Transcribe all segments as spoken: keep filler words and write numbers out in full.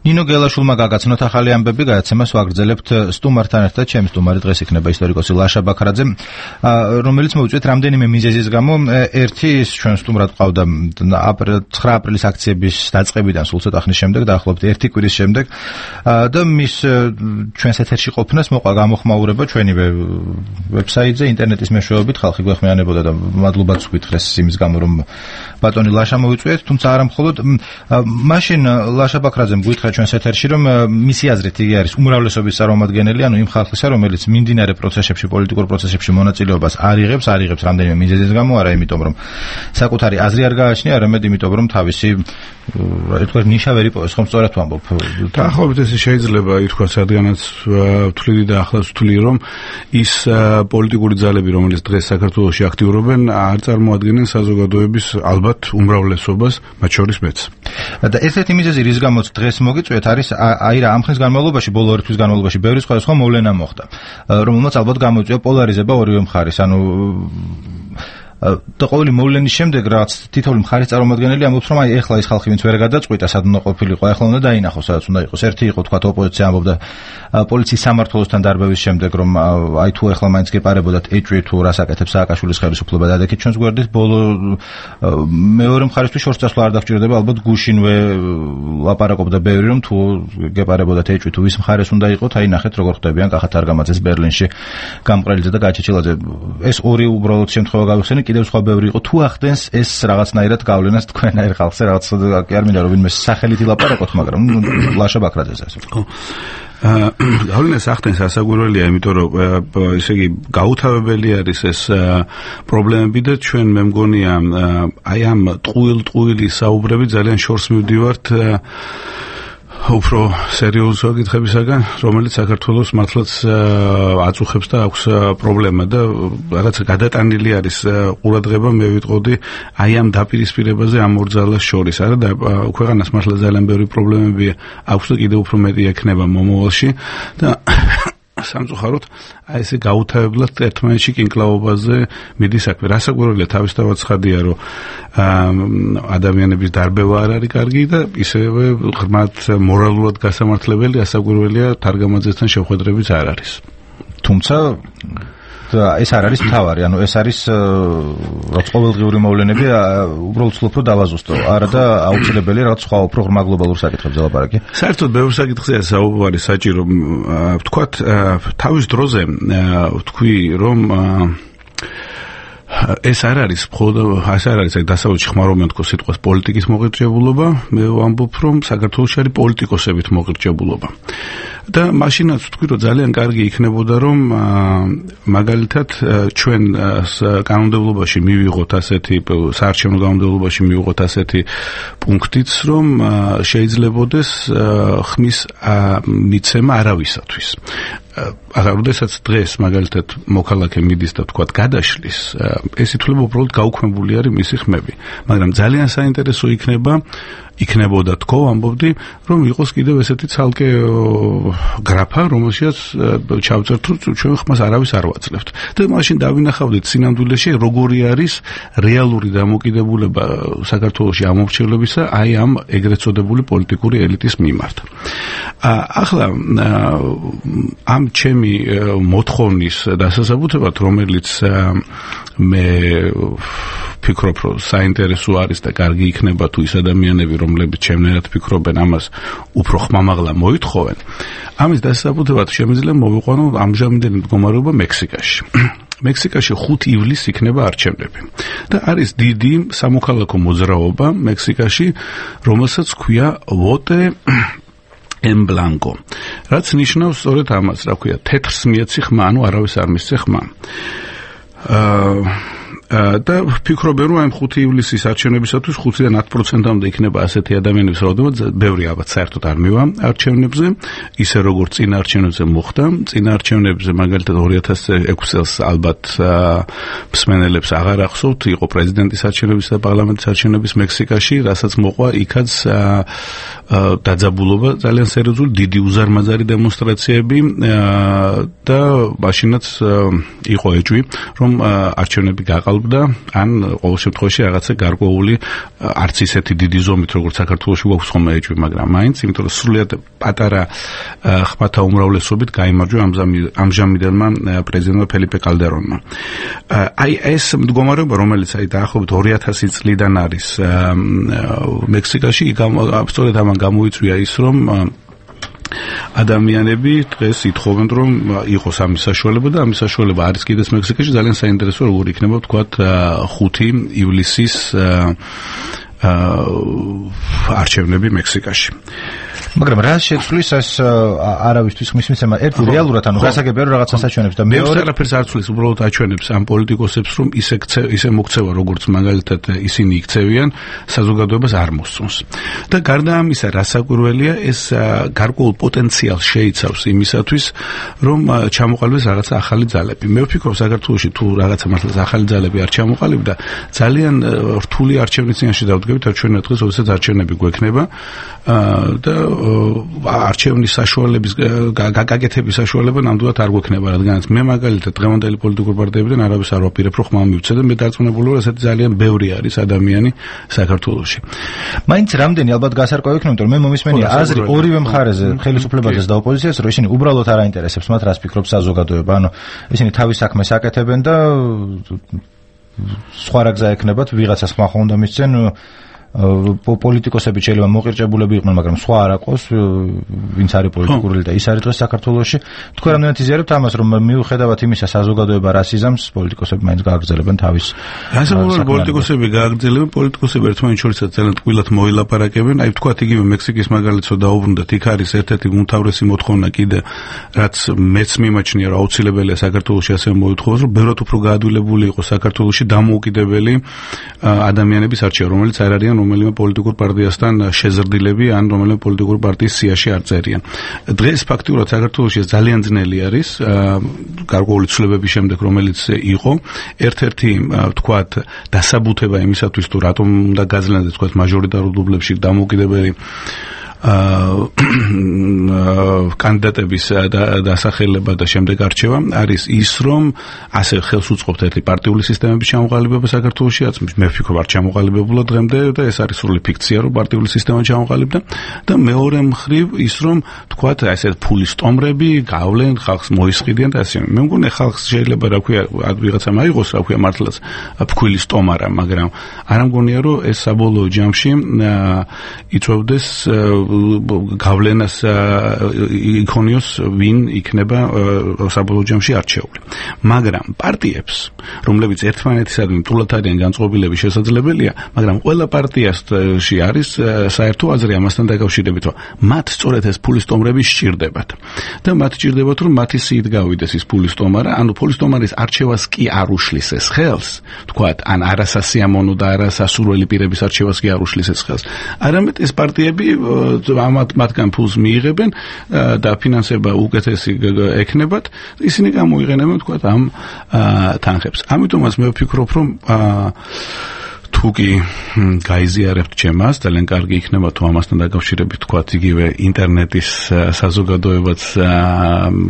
ნინო გელაშვილმა გაგაცნოთ ახალი ამბები, გადაცემას ვაგრძელებთ სტუმართან ერთად. ჩემი სტუმარი დღეს იქნება ისტორიკოსი ლაშა ბაქრაძე, რომელიც მოვიწვიეთ რამდენიმე მიზეზის გამო. ერთი ის ჩვენ სტუმრად ყავდა ცხრა აპრილის აქციების დაწყებიდან სულ ცოტა ხნის შემდეგ, დაახლოებით ერთი კვირის შემდეგ და მის ჩვენს ეთერში ყოფნას მოყვა გამოხმაურება ჩვენივე ვებსაიტზე, ინტერნეტის მეშვეობით ხალხი გვეხმიანებოდა და მადლობაც ვკითხეს იმის გამო, რომ ბატონი ლაშა მოვიწვიეთ, თუმცა არა მხოლოდ მაშინ ლაშა ბაქრაძემ გითხრა ჩვენს ეთერში, რომ მისი აზრით იგი არის უმრავლესობის წარმომადგენელი, ანუ იმ ხალხისა, რომელიც მიმდინარე პროცესებში, პოლიტიკურ პროცესებში მონაწილეობას არ იღებს, არ იღებს რამდენიმე მიზეზის გამო, არა იმიტომ, რომ საკუთარი აზრი არ გააჩნია, არამედ იმიტომ, რომ თავისი ეთქვა ნიშა ვერ იპოვეს, ხომ სწორად ვამბობ? დაახლოებით ესე შეიძლება ითქვას, რადგანაც ვთვლიდი და ახლაც ვთვლი, რომ ის პოლიტიკური ძალები, რომელიც დღეს საქართველოში აქტიურობენ, არ წარმოადგენენ საზოგადოების ალბათ უმრავლესობას, მათ შორის მეც. და ერთ-ერთი მიზეზი, რის გამოც დღეს მოგიწვიეთ, არის აი რა, ამ ხნის განმავლობაში, ბოლო ორი თვის განმავლობაში ბევრი სხვადასხვა მოვლენა მოხდა, რომელმაც ალბათ გამოიწვია პოლარიზება ორივე მხარის, ანუ და ყოველი მოვლენის შემდეგ რაც თითოეული მხარის წარმომადგენელი ამბობს, რომ აი ეხლა ის ხალხი, ვინც ვერ გადაწყვიტა, სად უნდა ყოფილიყო, ეხლა უნდა დაინახოს, სადაც უნდა იყოს. ერთი იყო თქვა ოპოზიცია ამბობდა პოლიციის სამმართველოსთან დარბევის შემდეგ, რომ აი თუ ეხლა მაინც გეპარებოდათ ეჭვი თუ რას აკეთებს სააკაშვილის ხელისუფლება, დადექით ჩვენს გვერდით. ბოლო მეორე მხარისთვის შორს წასვლა არ დაგჭირდება, ალბათ გუშინვე ლაპარაკობდა ბევრი, რომ თუ გეპარებოდათ ეჭვი თუ ვის მხარეს უნდა იყოთ, აი ნახეთ როგორ ხდებიან კახათ არგამაძეს ბერლინში, გამყრელიძე და გაჩეჩილაძე. ეს ორი უბრალოდ შემთხვევა გავიხსენე, კიდევ სხვა ბევრი იყო. თუ ახდენს ეს რაღაცნაირად გავლენას თქვენაერ ხალხზე, რაღაც კი არ მინდა რომ ვინმე სახელით ილაპარაკოთ, მაგრამ ლაშა ბაქრაძეს ასე. ხო. გავლენას ახდენს ასაგვირველია, იმიტომ რომ ესე იგი გაუთავებელი არის ეს პრობლემები და ჩვენ მე მგონია აი ამ ტყუილ-ტყუილი საუბრები ძალიან შორს მივდივართ უფრო სერიოზულ საკითხებისაგან, რომელიც საქართველოს მართლაც აწუხებს და აქვს პრობლემა და რაღაც გადატანილი არის ყურადღება, მე ვიტყოდი აი ამ დაპირისპირებაზე ამ ორ ძალას შორის. არა და ქვეყანას მართლა ძალიან ბევრი პრობლემები აქვს და კიდევ უფრო მეტი ექნება მომავალში და სამწუხაროდ აი ესე გაუთავებლად ერთმანეთში კინკლაობაზე მიდის საქმე. რასაკვირველია, თავისთავად ცხადია, რომ ადამიანების დარბევა არ არის კარგი და ისევე ღრმად მორალურად გასამართლებელი ასაკვირველია თარგამაძესთან შეხვედრებიც არ არის. თუმცა ეს არ არის მთავარი, ანუ ეს არის რაც ყოველდღიური მოვლენები, უბრალოდ ვცდილობ რომ დავაზუსტო. არა და აუცილებელია რაღაც სხვა უფრო ღრმა გლობალურ საკითხებზე ლაპარაკი. საერთოდ ბევრ საკითხზეა საუბარი საჭირო. ვთქვათ, თავის დროზე ვთქვი, რომ ეს არ არის მხოლოდ ეს არ არის დასავლეთში ხმარობენ თქო სიტყვას პოლიტიკის მოღირჭებულობა, მე ვამბობ, რომ საქართველოში არის პოლიტიკოსებით მოღირჭებულობა. და მაშინაც ვთქვი, რომ ძალიან კარგი იქნებოდა, რომ მაგალითად ჩვენ კანონმდებლობაში მივიღოთ ასეთი საარჩევნო კანონმდებლობაში მივიღოთ ასეთი პუნქტიც, რომ შეიძლებოდეს ხმის მიცემა არავისათვის. ახლა როდესაც დღეს მაგალითად მოქალაქე მიდის და თქვათ გადაშლის, ეს ითვლება უბრალოდ გაუქმებული არის მისი ხმები. მაგრამ ძალიან საინტერესო იქნება იქნებოდა თქო, ამბობდი, რომ იყოს კიდევ ესეთი ცალკე გრაფა, რომელშიც ჩავწერთ, რომ ჩვენ ხმას არავის არ ვაძლევთ. და მაშინ დავინახავდით სინამდვილეში როგორი არის რეალური დამოკიდებულება საქართველოში ამორჩევლებისა აი ამ ეგრეთ წოდებული პოლიტიკური ელიტის მიმართ. ახლა ამ ჩემი მოთხოვნის დასასაბუთებად, რომელიც მე ფიქრობ, რომ საინტერესო არის და კარგი იქნება თუ ის ადამიანები, რომლებიც ჩემნაირად ფიქრობენ, ამას უფრო ხმამაღლა მოითხოვენ. ამის დასაბუთებად შემიძლია მოვიყვანო ამჟამინდელი მდგომარეობა მექსიკაში. მექსიკაში ხუთი ივლისს იქნება არჩევნები. და არის დიდი სამოქალაქო მოძრაობა მექსიკაში, რომელსაც ქვია vote en blanco. რაც ნიშნავს სწორედ ამას, რა ქვია, თეთრს მიეცი ხმა, ანუ არავის არ მისცე ხმა. აა და ფიქრობენ, რომ ამ ხუთი ივლისის არჩევნებისათვის ხუთიდან ათ პროცენტამდე იქნება ასეთი ადამიანების რაოდენობა, ბევრი ალბათ საერთოდ არ მივა არჩევნებზე, ისე როგორც წინა არჩევნებზე მოხდა. წინა არჩევნებზე მაგალითად ორი ათას ექვსი წელს ალბათ მსმენელებს აღარ ახსოვთ, იყო პრეზიდენტის არჩევნების და პარლამენტის არჩევნების მექსიკაში, რასაც მოყვა იქაც დაძაბულობა, ძალიან სერიოზული, დიდი უზარმაზარი დემონსტრაციები და მაშინაც იყო ეჭვი, რომ არჩევნები გაყალბა იწვევდა ან ყოველ შემთხვევაში რაღაცა გარკვეული არც ისეთი დიდი ზომით როგორც საქართველოში გვაქვს ხომ ეჭვი, მაგრამ მაინც, იმიტომ რომ სრულიად პატარა ხმათა უმრავლესობით გაიმარჯვა ამჟამიდელმა პრეზიდენტმა ფელიპე კალდერონმა. აი ეს მდგომარეობა, რომელიც აი დაახლოებით ორი ათასი წლიდან არის მექსიკაში, სწორედ ამან გამოიწვია ის, რომ ადამიანები დღეს ითხოვენ, რომ იყოს ამის საშუალება და ამის საშუალება არის კიდეც მექსიკაში. ძალიან საინტერესოა, როგორ იქნება ვთქვათ ხუთი ივლისის არჩევნები მექსიკაში. მაგრამ რა შეცვლის ეს არავისთვის ხმის მიცემა? ერთი რეალურად ანუ გასაგებია რომ რაღაცას აჩვენებს და მეორე არაფერს არ ცვლის, უბრალოდ აჩვენებს ამ პოლიტიკოსებს, რომ ისე ისე მოქცევა, როგორც მაგალითად ისინი იქცევიან, საზოგადოებას არ მოსწონს. და გარდა ამისა, რასაკვირველია, ეს გარკვეულ პოტენციალს შეიცავს იმისათვის, რომ ჩამოყალიბდეს რაღაცა ახალი ძალები. მე ვფიქრობ, საქართველოში თუ რაღაცა მართლაც ახალი ძალები არ ჩამოყალიბდა, ძალიან რთული არჩევნის წინაშე დავდგებით, არჩევნები დღეს, როდესაც არჩევნები გვექნება და არჩევნის საშუალების გაკეთების საშუალება ნამდვილად არ გვექნება, რადგანაც მე მაგალითად დღევანდელი პოლიტიკური პარტიებიდან არავის არ ვაპირებ, რომ ხმა მივცე და მე დარწმუნებული ვარ, ესეთი ძალიან ბევრი არის ადამიანი საქართველოში. მაინც რამდენი ალბათ გასარკვევი იქნება, იმიტომ რომ მე მომისმენია აზრი ორივე მხარეზე, ხელისუფლებასაც და ოპოზიციას, რომ ისინი უბრალოდ არ აინტერესებს მათ, რას ფიქრობს საზოგადოება. ანუ ისინი თავის საქმეს აკეთებენ და სხვა რა გზა ექნებათ, ვიღაცას ხმა ხო უნდა მისცენ, პოლიტიკოსები შეიძლება მოყირჭებულები იყვნენ, მაგრამ სხვა არ აყოს, ვინც არის პოლიტიკური და ის არის დღეს საქართველოში. თქვენ რამდენად იზიარებთ ამას, რომ მიუხედავად იმისა, საზოგადოება რას იზამს, პოლიტიკოსები მაინც გააგრძელებენ თავის. ასაკობრივი პოლიტიკოსები გააგრძელებენ, პოლიტიკოსები ერთმანეთს შორის ძალიან ტყუილად მოილაპარაკებენ. აი ვთქვათ, იგივე მექსიკის მაგალითო დაუბრუნდეთ, იქ არის ერთ-ერთი უმთავრესი მოთხოვნა კიდე, რაც მეც მიმაჩნია, რომ აუცილებელია საქართველოში ასევე მოითხოვოს, რომ ბევრად უფრო გაადვილებული იყოს საქართველოში დამოუკიდებელი ადამიანების არჩევა, რომელიც არ არიან რომელიმე პოლიტიკურ პარტიასთან შეზრდილები ან რომელიმე პოლიტიკურ პარტიის სიაში არ წერიან. დღეს ფაქტიურად საქართველოში ძალიან ძნელი არის გარკვეული ცვლილებების შემდეგ, რომელიც იყო. ერთ-ერთი ვთქვათ დასაბუთება იმისათვის, თუ რატომ უნდა გაძლიერდეს ვთქვათ მაჟორიტარულ დუბლებში დამოუკიდებელი კანდიდატების დასახელება და შემდეგ არჩევა არის ის, რომ ასე ხელს უწყობთ ერთი პარტიული სისტემების ჩამოყალიბება საქართველოში, რაც მე ვფიქრობ არ ჩამოყალიბებულა დღემდე და ეს არის სრული ფიქცია, რომ პარტიული სისტემა ჩამოყალიბდა და მეორე მხრივ ის, რომ თქვათ ესე ფულის ტომრები გავლენ ხალხს, მოისყიდიან და ასე. მე მგონი ხალხს შეიძლება რა ქვია, ვიღაცა მაიღოს რა ქვია მართლაც ფქვილის ტომარა, მაგრამ არ მგონია, რომ ეს საბოლოო ჯამში იწვევდეს გავლენას იქონიოს ვინ იქნება საბოლოო ჯამში არჩეული. მაგრამ პარტიებს, რომლებიც ერთმანეთისადმი თულად არიან განწყობილები, შესაძლებელია, მაგრამ ყველა პარტიაში არის საერთო აზრი ამასთან დაკავშირებით, რომ მათ სწორედ ეს ფულის ტომრები სჭირდებათ. და მათ სჭირდებათ, რომ მათი სიით გავიდეს ის ფულის ტომარა, ანუ ფულის ტომარის არჩევას კი არ უშლის ეს ხელს, თქვათ, ან არასასიამოვნო და არასასურველი პირების არჩევას კი არ უშლის ეს ხელს. არამედ ეს პარტიები ამათ მათგან ფულს მიიღებენ და ფინანსება უკეთესი ექნებათ, ისინი გამოიყენებენ თქვათ ამ თანხებს. ამიტომაც მე ვფიქრობ, რომ თუ კი გაიზიარებთ ჩემას, ძალიან კარგი იქნება თუ ამასთან დაკავშირებით თქვათ იგივე ინტერნეტის საზოგადოებაც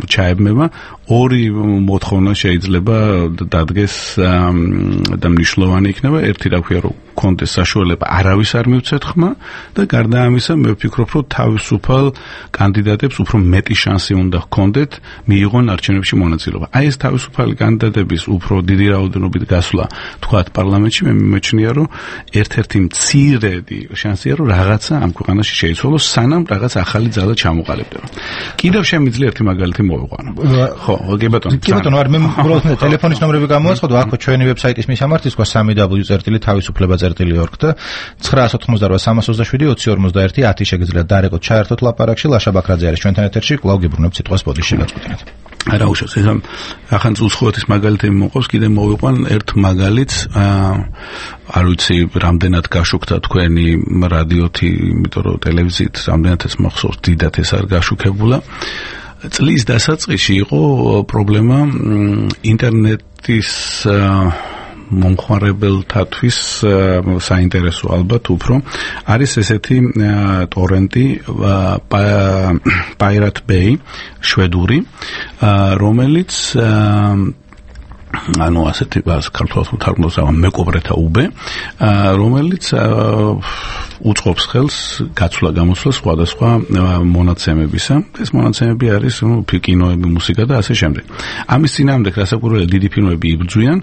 ჩაებმება. ორი მოთხოვნა შეიძლება დადგეს და მნიშვნელოვანი იქნება. ერთი რა ქვია, რომ კონდეს საშუალება არავის არ მივცეთ ხმა და გარდა ამისა მე ვფიქრობ, რომ თავისუფალ კანდიდატებს უფრო მეტი შანსი უნდა ჰქონდეთ მიიღონ არჩევნებში მონაწილეობა. აი ეს თავისუფალი კანდიდატების უფრო დიდი რაოდენობით გასვლა თქვათ პარლამენტში მე მიმეჩნია, რომ ერთ-ერთი მცირედი შანსია, რომ რაღაცა ამ ქვეყანაში შეიცვალოს, სანამ რაღაც ახალი ძალა ჩამოყალიბდება. კიდევ შემიძლია ერთი მაგალითი მოვიყვანო. ხო, კი ბატონო. კი ბატონო, არ მე უბრალოდ ტელეფონის ნომრები გამოვაცხადო, აქ ჩვენი ვებსაიტის მისამართი სხვა სამი დაბლიუ წერტილი თავისუფლება წერტილი ორგ და ცხრა ოცდაოთხმოცდარვა სამას ოცდაშვიდი ოცი ორმოცდაერთი ათი შეგიძლიათ დარეკოთ ჩაერთოთ ლაპარაკში. ლაშა ბაქრაძე არის ჩვენთან ეთერში, კვლავ გიბრუნებთ სიტყვას ბოდიში გაწყვეტინეთ. არა უშავს, ეხლა ახან უცხოეთის მაგალითი მოყავს, კიდე მოვიყვან ერთ მაგალითს, არ ვიცი რამდენად გაშუქდა თქვენი რადიოთი, იმიტომ რომ ტელევიზიით რამდენადაც მახსოვს, დიდად ეს არ გაშუქებულა. წლის დასაწყისში იყო პრობლემა ინტერნეტის მომხმარებელთათვის საინტერესო ალბათ უფრო არის ესეთი ტორენტი Pirate Bay შვედური, რომელიც ანუ ასეთი ქართულად თარგმნოს მეკობრეთა უბე, რომელიც უწყობს ხელს გაცვლა გამოსვლა სხვადასხვა მონაცემებისა. ეს მონაცემები არის კინოები, მუსიკა და ასე შემდეგ. ამის წინააღმდეგ რასაკვირველია დიდი ფილმები იბრძვიან,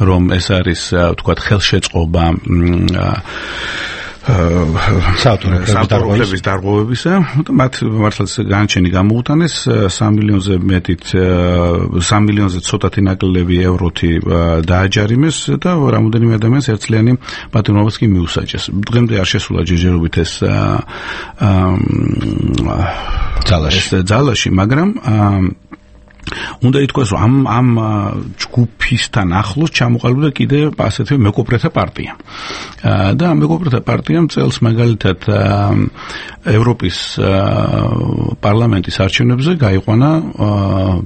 რომ ეს არის თქვათ ხელშეწყობა საავტორების დარღვევებისა, მათ მართლაც განაჩენი გამოუტანეს სამი მილიონზე მეტით სამი მილიონზე ცოტათი ნაკლები ევროთი დააჯარიმეს და რამოდენიმე ადამიანს ერთწლიანი პატიმრობაც კი მიუსაჯეს. დღემდე არ შესულა ჯერჯერობით ეს ძალაში, მაგრამ უნდა ითქვას, რომ ამ ამ ჯგუფისთან ახლოს ჩამოყალიბდა კიდე ასეთი მეკობრეთა პარტია. და ამ მეკობრეთა პარტიამ წელს მაგალითად ევროპის პარლამენტის არჩევნებზე გაიყვანა,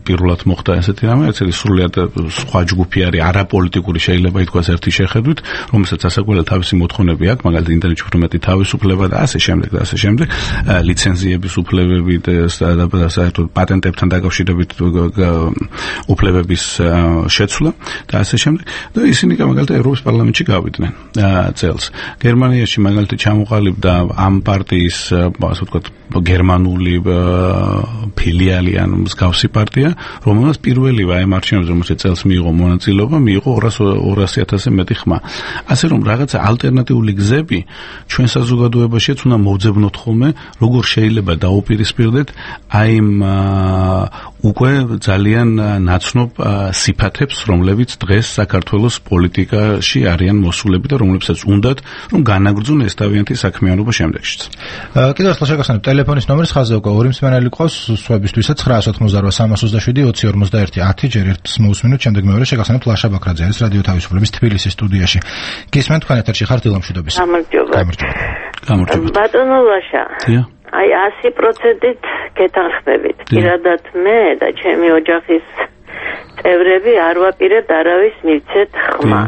პირველად მოხდა ესეთი რამე, ესეთი სრულიად სხვა ჯგუფი არის, არაპოლიტიკური შეიძლება ითქვას ერთი შეხედვით, რომელსაც ასაკვლელი თავისი მოთხოვნები აქვს, მაგალითად ინტერნეტში უფრო მეტი თავისუფლება და ასე შემდეგ და ასე შემდეგ, ლიცენზიების უფლებები და საერთოდ პატენტებთან დაკავშირებით უფლებების შეცვლა და ასე შემდეგ და ისინი მაგალითად ევროპის პარლამენტში გავიდნენ წელს. გერმანიაში მაგალითად ჩამოყალიბდა ამ პარტიის ასე ვთქვათ გერმანული ფილიალი ან მსგავსი პარტია, რომელსაც პირველივე აი მარჩევნებზე რომელსაც წელს მიიღო მონაწილეობა, მიიღო ორასი ათასზე მეტი ხმა. ასე რომ რაღაცა ალტერნატიული გზები ჩვენ საზოგადოებაშიც უნდა მოვძებნოთ ხოლმე, როგორ შეიძლება დაუპირისპირდეთ აი იმ უკვე ძალიან ნაცნობ სიფათებს, რომლებიც დღეს საქართველოს პოლიტიკაში არიან მოსულები და რომლებსაც უნდათ, რომ განაგრძონ ეს თავიანთი საქმიანობა შემდეგშიც. კიდევ ერთხელ შეგახსენებ, ტელეფონის ნომერის ხაზზე უკვე ორი მსმენელი ყავს, სხვაებისთვისაც ცხრა ოცდაოთხ სამას ოცდაშვიდი ოცი ორმოცდაერთი ათი, ჯერ ერთს მოусმინოთ, შემდეგ მეორე შეგახსენებთ ლაშა ბაქრაძე არის რადიო თავისუფლების თბილისის სტუდიაში. გისმენთ, თქვენ ეთერში ხართ დილამშვიდობის. გამარჯობა. გამარჯობა. ბატონო ლაშა. დიახ. აი ასი პროცენტით გეთანხმებით. პირადად მე და ჩემი ოჯახის წევრები არ ვაპირებთ არავის მივცეთ ხმა.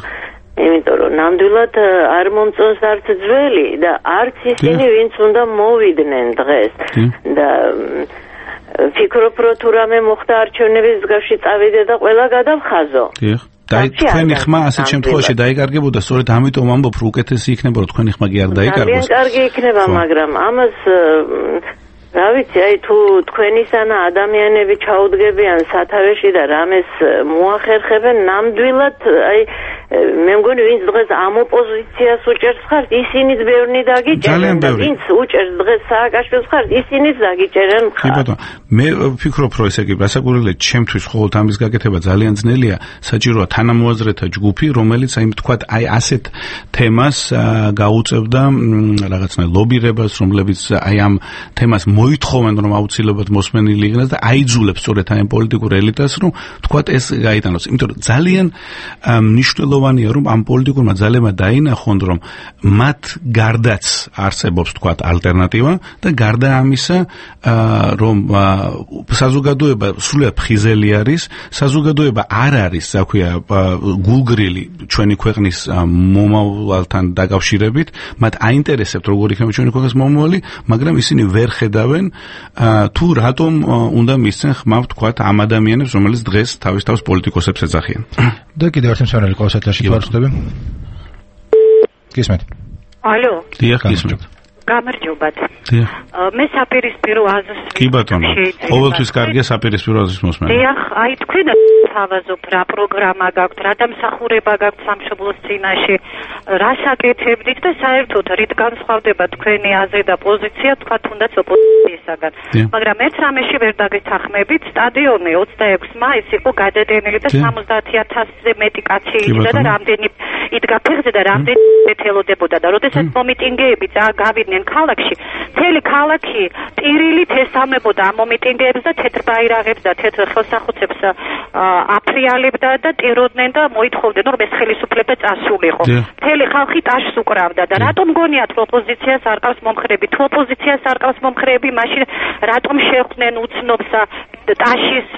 იმიტომ რომ ნამდვილად არ მომწონს არც ძველი და არც ისინი, ვინც უნდა მოვიდნენ დღეს. და ვფიქრობ, რომ თუ რამე მოხდა არჩევნების მსგავსი წავიდე და ყველა გადავხაზო. დიახ. და თქვენი ხმა ასეთ შემთხვევაში დაიკარგებოდა, სწორედ ამიტომ ამბობ, რომ უკეთესი იქნება, რომ თქვენი ხმა კი არ დაიკარგოს. ძალიან კარგი იქნება, მაგრამ ამას რა ვიცი, აი თუ თქვენისანა ადამიანები ჩაუდგებიან სათავეში და რამეს მოახერხებენ, ნამდვილად აი მე მგონი ვინც დღეს ამ ოპოზიციას უჭერს ხართ, ისინიც ბევრნი დაგიჭერენ და ვინც უჭერს დღეს სააკაშვილს ხართ, ისინიც დაგიჭერენ ხართ. კი ბატონო, მე ვფიქრობ, რომ ესე იგი რასაკვირველია, ჩემთვის ყოველთ ამის გაკეთება ძალიან ძნელია, საჭიროა თანამოაზრეთა ჯგუფი, რომელიც აი თქვათ აი ასეთ თემას გაუწევდა რაღაცნაირ ლობირებას, რომლებიც აი ამ თემას მოითხოვენ, რომ აუცილებლად მოსმენილი იქნას და აიძულებს სწორედ აი პოლიტიკურ ელიტას, რომ თქვათ ეს გაიტანოს. იმიტომ რომ ძალიან მნიშვნელოვანია, რომ ამ პოლიტიკურმა ძალებმა დაინახონ, რომ მათ გარდაც არსებობს თქვათ ალტერნატივა და გარდა ამისა, რომ საზოგადოება სრულიად ფხიზელი არის, საზოგადოება არ არის, რა ქვია, გულგრილი ჩვენი ქვეყნის მომავალთან დაკავშირებით, მათ აინტერესებთ როგორ იქნება ჩვენი ქვეყნის მომავალი, მაგრამ ისინი ვერ ხედავენ თუ რატომ უნდა მისცენ ხმა თქვათ ამ ადამიანებს, რომელიც დღეს თავის თავს პოლიტიკოსებს ეძახიან. და კიდევ ერთი მსმენელი ყავს ეთერში, თუ არ ვწდები. გისმენთ. ალო. დიახ, გისმენთ. გამარჯობათ. დიახ. მე საპირისპირო აზრს. კი ბატონო. ყოველთვის კარგია საპირისპირო აზრის მოსმენა. დიახ, აი თქვენ თავაზობ რა პროგრამა გაქვთ, რა დამსახურება გაქვთ სამშობლოს წინაშე, რა საკეთებდით და საერთოდ რით განსხვავდება თქვენი აზრი და პოზიცია თქვა თუნდაც ოპოზიციისაგან. მაგრამ ერთ რამეში ვერ დაგეთანხმებით, სტადიონი ოცდაექვსი მაისს იყო გადადენილი და სამოცდაათი ათასზე მეტი კაცი იდგა და რამდენი იდგა ფეხზე და რამდენი ეთელოდებოდა და როდესაც მომიტინგეები გავიდნენ ქალაქში, მთელი ქალაქი ტირილით ესალმებოდა ამ მომიტინგეებს და თეთრ ბაირაღებს და თეთრ ხელსახუცებს აფრიალებდა და ტიროდნენ და მოითხოვდნენ, რომ ეს ხელისუფლება წასულიყო. მთელი ხალხი ტაშს უკრავდა და რატომ გონიათ, რომ ოპოზიციას არ ყავს მომხრეები? თუ ოპოზიციას არ ყავს მომხრეები, მაშინ რატომ შეხვდნენ უცნობს ტაშის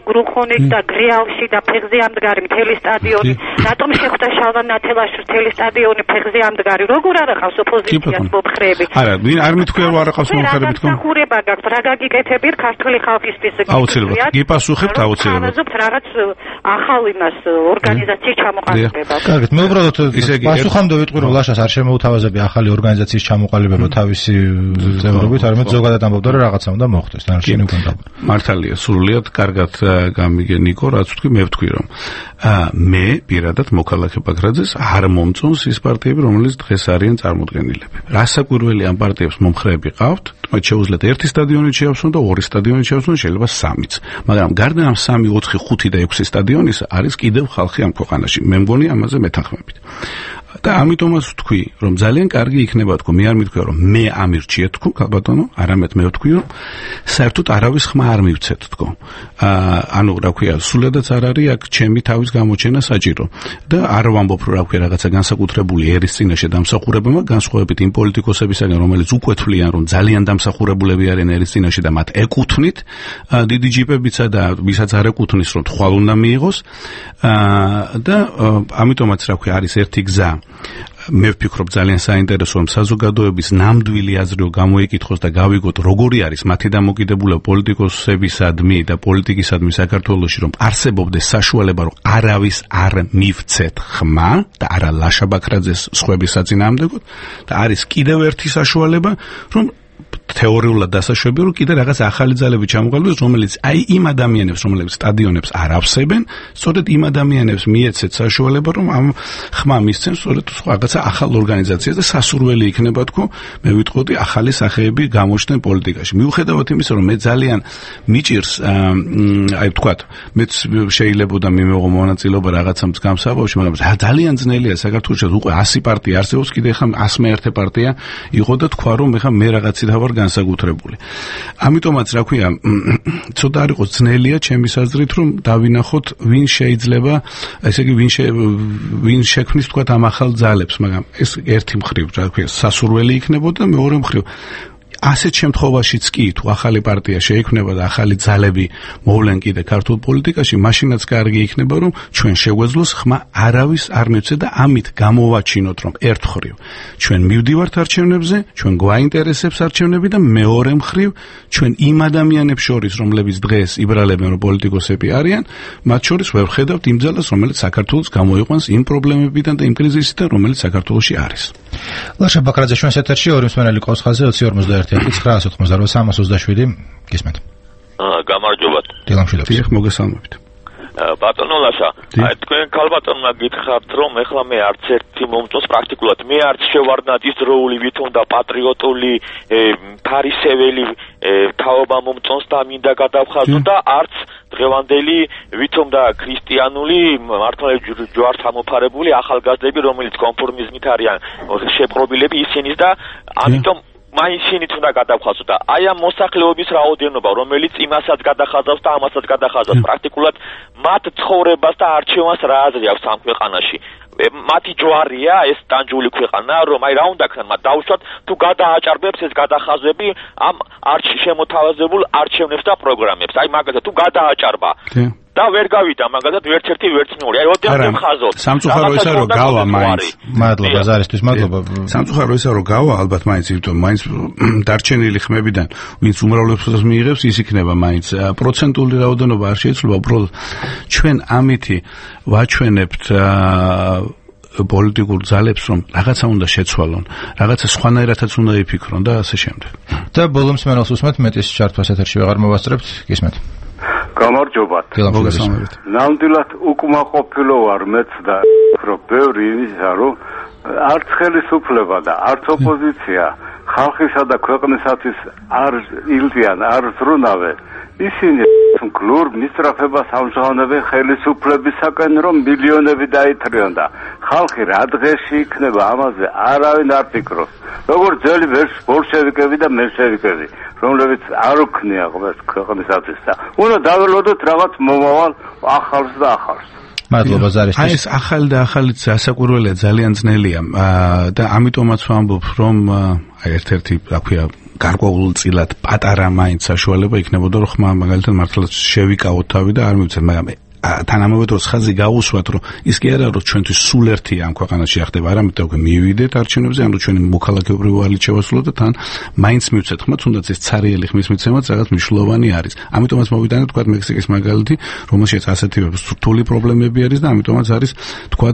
გრუხონით და გრიალში და ფეხზე ამდგარი მთელი სტადიონი? რატომ შეხვდა შალვა ნათელაშვილს მთელი სტადიონი ფეხზე ამდგარი? როგორ არ ყავს ოპოზიციას მომხრეები? არა, ვინ არ მithქვია რომ არ აყავს მომხარები თქო? სამსახურება გაქვთ, რა გაგიკეთებთ ქართული ხალხისთვის? აუცილებლად. გიპასუხებთ აუცილებლად. თავაზობთ რაღაც ახალ იმას ორგანიზაციის ჩამოყალიბება. კარგით, მე უბრალოდ პასუხამდე ვიტყვი რომ ლაშას არ შემოუთავაზებია ახალი ორგანიზაციის ჩამოყალიბება თავისი წევრობით, არამედ ზოგადად ამბობდა რომ რაღაცა უნდა მოხდეს, დანარჩენი უკვე უნდა. მართალია, სრულიად კარგად გამიგე ნიკო, რაც ვთქვი, მე ვთქვი რომ მე პირადად მოქალაქე ბაგრაძეს არ მომწონს ის პარტიები, რომელიც დღეს არიან წარმოდგენილები. რასაკვირველი ამ პარტიებს მომხრეები ყავთ, მათ შეუძლიათ ერთი სტადიონით შეავსონ და ორი სტადიონით შეავსონ, შეიძლება სამიც. მაგრამ გარდა ამ სამი, ოთხი, ხუთი და ექვსი სტადიონის არის კიდევ ხალხი ამ ქვეყანაში. მე მგონი ამაზე მეთანხმებით. და ამიტომაც ვთქვი, რომ ძალიან კარგი იქნება თქო, მე არ მithქვია რომ მე ამირჩიე თქო, ბატონო, არამედ მე ვთქვი რომ საერთოდ არავის ხმა არ მივცეთ თქო. აა ანუ რა ქვია, სულადაც არ არის აქ ჩემი თავის გამოჩენა საჭირო. და არ ვამბობ რომ რა ქვია რაღაცა განსაკუთრებული ერის წინაშე დამსახურებებმა, განსხვავებით იმ პოლიტიკოსებისაგან, რომელიც უკვე თვლიან რომ ძალიან დამსახურებულები არიან ერის წინაშე და მათ ეკუთვნით, დიდი ჯიპებიცა და ვისაც არ ეკუთვნის რომ თვალ უნდა მიიღოს. აა და ამიტომაც რა ქვია, არის ერთი გზა. მე ვფიქრობ ძალიან საინტერესო რომ საზოგადოების ნამდვილი აზრი გამოიკითხოს და გავიგოთ როგორი არის მათი დამოკიდებულება პოლიტიკოსებისადმი და პოლიტიკისადმი საქართველოში, რომ არსებობდეს საშუალება რომ არავის არ მივცეთ ხმა და არა ლაშა ბაქრაძეს სხვების საწინააღმდეგოდ და არის კიდევ ერთი საშუალება რომ თეორიულად დასაშვები რომ კიდე რაღაც ახალი ძალები ჩამოყალიბდეს, რომელიც აი იმ ადამიანებს, რომლებიც სტადიონებს არ ავსებენ, სწორედ იმ ადამიანებს მიეცეთ საშუალება, რომ ამ ხმა მისცენ სწორედ რაღაცა ახალ ორგანიზაციას და სასურველი იქნება თქო, მე ვიტყოდი ახალი სახეები გამოჩნდნენ პოლიტიკაში. მიუხედავად იმისა, რომ მე ძალიან მიჭირს აი ვთქვათ, მეც შეიძლებოდა მიმეღო მონაწილეობა რაღაცა მსგავსებაში, მაგრამ ძალიან ძნელია საქართველოში უკვე ასი პარტია არსებობს, კიდე ხა ასმე ერთი პარტია იყო და თქვა რომ ეხა მე რაღაცით ვარ განსაკუთრებული. ამიტომაც რა ქვია, ცოტა არ იყოს ძნელია ჩემის აზრით რომ დავინახოთ ვინ შეიძლება, ესე იგი ვინ ვინ შექმნის თქვა ამ ახალ ძალებს, მაგრამ ეს ერთი მხრივ რა ქვია, სასურველი იქნებოდა, მეორე მხრივ ასეთ შემთხვევაშიც კი თუ ახალი პარტია შეიქმნება და ახალი ძალები მოვლენ კიდე ქართულ პოლიტიკაში, მაშინაც კარგი იქნება რომ ჩვენ შეგვეძლოს ხმა არავის არ მივცეთ და ამით გამოვაჩინოთ რომ ერთ მხრივ ჩვენ მივდივართ არჩევნებზე, ჩვენ გვაინტერესებს არჩევნები და მეორე მხრივ ჩვენ იმ ადამიანებს შორის რომლებიც დღეს იბრალებენ რომ პოლიტიკოსები არიან, მათ შორის ვერ ხედავთ იმ ძალას რომელიც საქართველოს გამოიყვანს იმ პრობლემებიდან და იმ კრიზისიდან რომელიც საქართველოში არის. ლაშა ბაქრაძე ჩვენს ეთერში ორი მსმენელი ყავს ხაზზე ოცი ორმოცდაერთი ცხრაასი ოთხმოცდაოთხი სამას ოცდაშვიდი გისმენთ. აა გამარჯობათ. დილამშვიდობთ. დიახ, მოგესალმებით. ბატონო ლაშა, აი თქვენ ქალბატონმა გითხრათ რომ ეხლა მე არც ერთი მომწონს პრაქტიკულად, მე არც შევარდნად ის დროული ვითომ და პატრიოტული ფარისეველი თაობა მომწონს და მინდა გადავხაზო და არც დღევანდელი ვითომ და ქრისტიანული მართლმადიდებლური ჯვარს ამოფარებული ახალგაზრდები, რომელიც კონფორმიზმით არიან შეპყრობილები ისინიც და ამიტომ მაინც შინით უნდა გადავხაზო და აი ამ მოსახლეობის რაოდენობა, რომელიც იმასაც გადახაზავს და ამასაც გადახაზავს, პრაქტიკულად მათ ცხოვრებას და არჩევანს რა აზრი აქვს ამ ქვეყანაში. მათი ჯვარია ეს ტანჯული ქვეყანა, რომ აი რა უნდა ქნათ, მათ დაუშვათ თუ გადააჭარბებს ეს გადახაზები ამ არჩ შემოთავაზებულ არჩევნებს და პროგრამებს. აი მაგალითად თუ გადააჭარბა და ვერ გავიდა მაგალითად ვერც ერთი ვერც მეორე. აი ოდესმე ხაზოთ. სამწუხარო ისა რომ გავა მაინც. მადლობა ზარისთვის, მადლობა. სამწუხარო ისა რომ გავა ალბათ მაინც იმიტომ მაინც დარჩენილი ხმებიდან ვინც უმრავლესობას მიიღებს ის იქნება მაინც პროცენტული რაოდენობა არ შეიძლება, უბრალოდ ჩვენ ამითი ვაჩვენებთ პოლიტიკურ ძალებს რომ რაღაცა უნდა შეცვალონ, რაღაცა სხვანაირადაც უნდა იფიქრონ და ასე შემდეგ. და ბოლომს მენელს უსმენთ, მეტის ჩართვას ეთერში ვეღარ მოვასწრებთ, გისმენთ. გამარჯობათ. მოგესალმებით. ნამდვილად უკმაყოფილო ვარ მეც და რომ ბევრი იმისა რომ არც ხელისუფლება და არც ოპოზიცია ხალხისა და ქვეყნისათვის არ ილდიან, არ ზრუნავენ. ისინი გლურ მისწრაფებას ამჟღავნებენ ხელისუფლებისაკენ რომ მილიონები დაითრიონ და ხალხი რა დღეში იქნება ამაზე არავინ არ ფიქრობს. როგორც ძველი ბოლშევიკები და მენშევიკები, რომლებიც არ უქნია ქვეყნისათვის და უნდა დაველოდოთ რაღაც მომავალ ახალს და ახალს. მადლობა ზარისთვის. აი ეს ახალი და ახალიც ასაკურველია, ძალიან ძნელია და ამიტომაც ვამბობ რომ აი ერთ-ერთი რა ქვია გარკვეულწილად პატარა მაინც საშუალება იქნებოდა რომ ხმა მაგალითად მართლაც შევიკავოთ თავი და არ მივცეთ, მაგრამ თანამედროვე დროს ხაზი გაუსვათ, რომ ის კი არა, რომ ჩვენთვის სულ ერთია ამ ქვეყანაში ხდება, არამედ უკვე მივიდეთ არჩევნებზე, ანუ ჩვენი მოქალაქეობრივი ვალით შევასრულოთ და თან მაინც მივცეთ ხმა, თუნდაც ეს ცარიელი ხმის მიცემაც რაღაც მნიშვნელოვანი არის. ამიტომაც მოვიტანეთ თქვა მექსიკის მაგალითი, რომელშიც ასეთი რთული პრობლემები არის და ამიტომაც არის თქვა,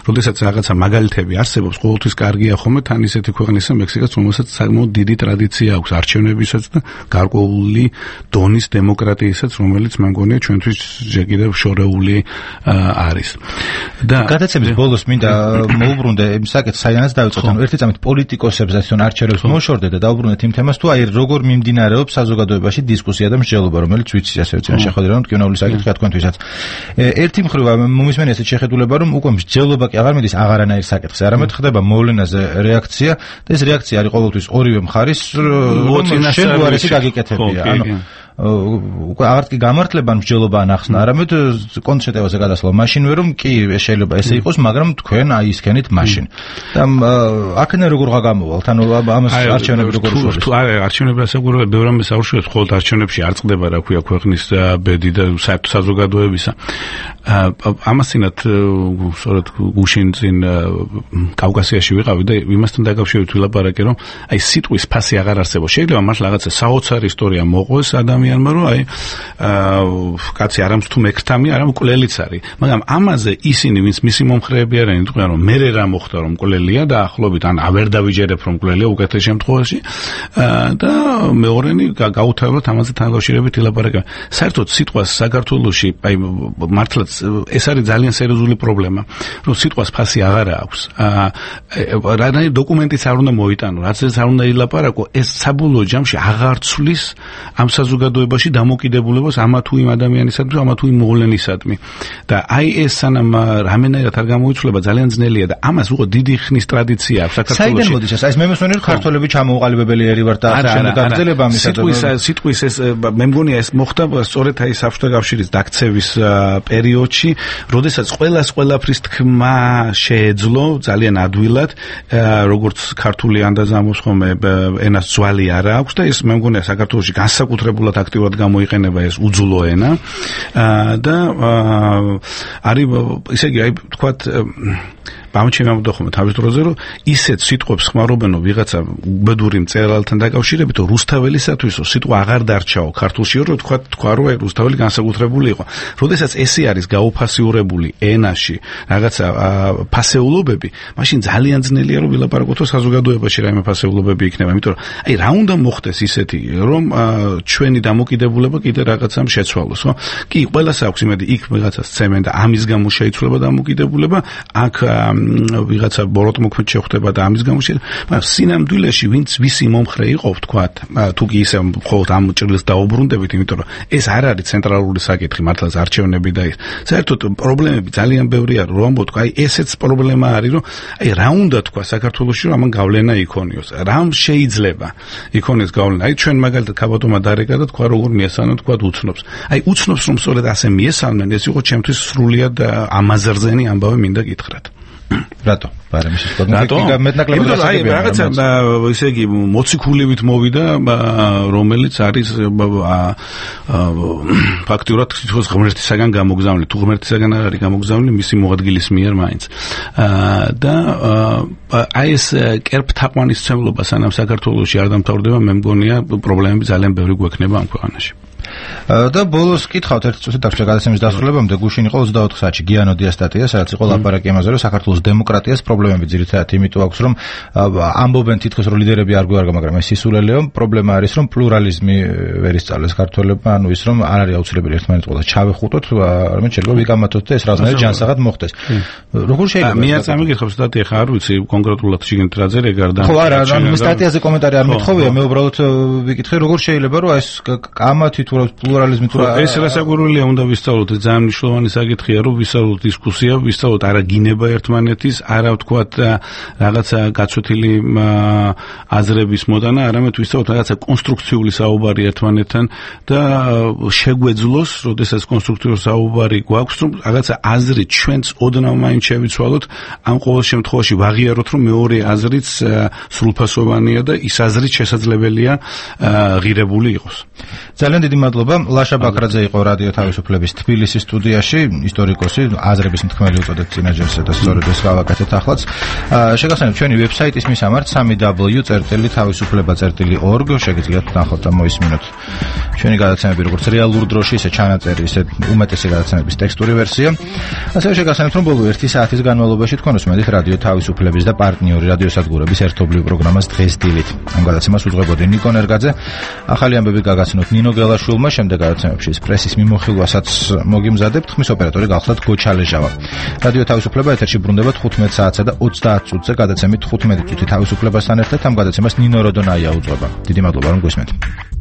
როდესაც რაღაცა მაგალითები არსებობს, ყოველთვის კარგია ხოლმე თან ისეთი ქვეყნისა მექსიკაც, რომელსაც საკმაოდ დიდი ტრადიცია აქვს არჩევნებისაც და გარკვეული დონის დემოკრატიასაც, რომელიც მე მგონია ჩვენთვის ჯერ კიდევ შორეული არის. და გადაცემის ბოლოს მინდა მოუბრუნდე იმ საკითხს, საიდანაც დავიწყოთ, ანუ ერთი წამით პოლიტიკოსებს ასე არჩევნებს მოშორდეთ და დაუბრუნდეთ იმ თემას, თუ აი როგორ მიმდინარეობს საზოგადოებაში დისკუსია და მსჯელობა, რომელიც ვიცი ასე ვწინა შეხვედრა, რომ ტკივნეული საკითხია თქვენთვისაც. ერთი მხრივ მომისმენია ესეთ შეხედულება, რომ უკვე მსჯელობა კი აღარ მიდის აღარანაირ საკითხზე, არამედ ხდება მოვლენაზე რეაქცია და ეს რეაქცია არის ყოველთვის ორივე მხარის შენ უარესი გაგიკეთებია. ანუ უკვე აღარ კი გამართლება მსჯელობა ან ახსნა, არამედ კონცეპტებზე გადასვლა მაშინვე რომ კი შეიძლება ესე იყოს, მაგრამ თქვენ აი ისქენით მაშინ. და აქედან როგორ გაგამოვალთ? ანუ ამას არჩევნები როგორ უშუალოდ? აი არჩევნები ასაკურებია, ბევრ ამას აუშუალებს, ხოლმე არჩევნებში არ წყდება რა ქვია ქვეყნის ბედი და საერთო საზოგადოებისა. ამასინათ სწორედ გუშინ წინ კავკასიაში ვიყავი და იმასთან დაკავშირებით ვილაპარაკე, რომ აი სიტყვის ფასი აღარ არსებობს. შეიძლება მართლა რაღაცა საოცარი ისტორია მოყვეს ადამიანმა, რომ აი კაცი არამც თუ მექრთამი, არამ მკვლელიც არის. მაგრამ ამაზე ისინი, ვინც მისი მომხრეები არიან, იტყვიან, რომ მერე რა მოხდა, რომ მკვლელია და ახლობით ან ვერ დავიჯერებ, რომ მკვლელია უკეთეს შემთხვევაში და მეორენი გაუთავებლად ამაზე თანადამშრომლობით ილაპარაკებენ. საერთოდ სიტყვას საქართველოში აი მართლაც ეს არის ძალიან სერიოზული პრობლემა, რომ სიტყვას ფასი აღარ აქვს. რადგან დოკუმენტიც არ უნდა მოიტანო, რაც ეს არ უნდა ილაპარაკო, ეს საბოლოო ჯამში აღარ ცვლის ამ საზოგადოებაში დამოკიდებულებას ამა თუ იმ ადამიანისადმი, ამა თუ იმ მოვლენისადმი. და აი ეს სანამ რამენერად არ გამოიცვლება, ძალიან ძნელია და ამას უყო დიდი ხნის ტრადიცია აქვს საქართველოში. საიდან მოდის ეს? აი მე მესვენე რომ ქართველები ჩამოუყალიბებელი ერი ვარ და ამ გაგრძელება ამისა. სიტყვის სიტყვის ეს მე მგონია ეს მოხდა სწორედ აი საბჭოთა კავშირის დაქცევის პერიოდში, როდესაც ყველას ყველაფრის თქმა შეეძლო ძალიან ადვილად, როგორც ქართული ანდაზამოს ხომ ენას ძვალი არა აქვს და ეს მე მგონია საქართველოში განსაკუთრებულად აქტიურად გამოიყენება ეს უძულო ენა და არის ისე იგი აი თქვათ ამჩენამდე ხომ თავის დროზე რომ ისეთ სიტყვებს ხმარობენო ვიღაცა უბედური მწერალთან დაკავშირებით, რომ რუსთაველისათვის სიტყვა აღარ დარჩაო ქართულში, რომ თქვა თქვა რომ აი რუსთაველი განსაკუთრებული იყო. როდესაც ესე არის გაუფასიურებული ენაში რაღაცა ფასეულობები, მაშინ ძალიან ძნელია რომ ვილაპარაკოთ საზოგადოებაში რაიმე ფასეულობები იქნება, იმიტომ რომ აი რა უნდა მოხდეს ისეთი, რომ ჩვენი დამოკიდებულება კიდე რაღაცამ შეცვალოს, ხო? კი, ყველას აქვს იმედი იქ ვიღაცას ცემენ და ამის გამო შეიცვლება დამოკიდებულება, აქ ვიღაცა ბოროტმოქმედ შეხვდება და ამის გამო შეიძლება, მაგრამ სინამდვილეში ვინც ვისი მომხრე იყო, ვთქვათ, თუ კი ისე მხოლოდ ამ ჭრილს დაუბრუნდებით, იმიტომ რომ ეს არ არის ცენტრალური საკითხი, მართლაც არჩევნები და ის. საერთოდ პრობლემები ძალიან ბევრია, რომ ამბობ, აი ესეც პრობლემა არის, რომ აი რა უნდა თქვა საქართველოში, რომ ამან გავლენა იქონიოს. რამ შეიძლება იქონიოს გავლენა? აი ჩვენ მაგალითად ქაბატონმა დარეკა და თქვა როგორ მიესალმენ, თქვა უცნობს. აი უცნობს რომ სწორედ ასე მიესალმენ, ეს იყო ჩემთვის სრულიად ამაზრზენი ამბავი მინდა გითხრათ. რატო? პარამიშის კონფლიქტი მეტნაკლებად აი რაღაცა ისე იგი მოციქულივით მოვიდა, რომელიც არის ფაქტურად თვითონ ღმერთისაგან გამოგზავნილი, თუ ღმერთისაგან არ არის გამოგზავნილი, მისი მოადგილის მიერ მაინც. და აი ეს კერპთაყვანისმცემლობა სანამ საქართველოში არ დამთავრდება, მე მგონია პრობლემები ძალიან ბევრი გვექნება ამ ქვეყანაში. და ბოლოს კითხავთ ერთი წუთი დაგჭირდა გადაცემის დასრულებამდე, გუშინ იყო ოცდაოთხ საათში გიანოდიას სტატია, სადაც იყო ლაპარაკი ამაზე, რომ საქართველოს დემოკრატიას პრობლემები ძირითადად იმიტომ აქვს, რომ ამბობენ თითქოს რომ ლიდერები არ გვარგა, მაგრამ ეს სისულელეო, პრობლემა არის, რომ პლურალიზმი ვერ ისწავლეს ქართველებმა, ანუ ის რომ არ არის აუცილებელი ერთმანეთს ყოლას ჩავეხუტოთ, არამედ შეიძლება ვიგამათოთ და ეს რაღაცნაირად ჯანსაღად მოხდეს. როგორ შეიძლება? მე არ წამიგიხებ სტატია ხარ, ვიცი, კონკრეტულად შეგენთ რა წერე გარდა. ხო, არა, ანუ სტატიაზე კომენტარი არ მithოვია, მე უბრალოდ ვიკითხე, როგორ შეიძლება რომ ეს კამათი თუ პლურალიზმი თუ ეს რასაკვირველია, უნდა ვისწავლოთ, ძალიან მნიშვნელოვანი საკითხია, რომ ვისწავლოთ დისკუსია, ვისწავლოთ არა გინება ერთმანეთის, არა ვთქვათ რაღაცა გაცვეთილი აზრების მოდანა, არამედ ვისწავლოთ რაღაცა კონსტრუქციული საუბარი ერთმანეთთან და შეგვეძლოს, როდესაც კონსტრუქციული საუბარი გვაქვს, რომ რაღაცა აზრი ჩვენც ოდნავ მაინც შევიცვალოთ, ამ ყოველ შემთხვევაში ვაღიაროთ, რომ მეორე აზრიც სრულფასოვანია და ის აზრიც შესაძლებელია ღირებული იყოს. ძალიან დიდი მადლობა. ლაშა ბაქრაძე იყო რადიო თავისუფლების თბილისის სტუდიაში, ისტორიკოსი, აზრების მთქმელი უწოდეთ წინაჯერსა და სწორედ ეს გავაკეთეთ ახლაც. შეგახსენებთ ჩვენი ვებსაიტის მისამართ სამი დაბლიუ წერტილი თავისუფლება წერტილი ორგ, შეგიძლიათ ნახოთ და მოისმინოთ ჩვენი გადაცემები როგორც რეალურ დროში, ისე ჩანაწერი, ისე უმეტესი გადაცემების ტექსტური ვერსია. ასევე შეგახსენებთ რომ ბოლო ერთი საათის განმავლობაში თქვენ უსმენთ რადიო თავისუფლების და პარტნიორი რადიოსადგურების ერთობლივ პროგრამას დღეს დილით. ამ გადაცემას უძღვებოდი ნიკო ნერგაძე. ახალი ამბები გაგაცნოთ ნინო გელაშვილმა, შემდეგ გადაცემებში პრესის მიმოხილვასაც მოგიმზადებთ. ხმის ოპერატორი გახლდათ გოჩალეჟავა. რადიო თავისუფლება ეთერში ბრუნდება თხუთმეტ საათსა და ოცდაათ წუთზე გადაცემით თხუთმეტი წუთი თავისუფლებასთან ერთად ამ გადაცემას ნინო როდონაია უძღვება. დიდი მადლობა რომ გვისმენთ.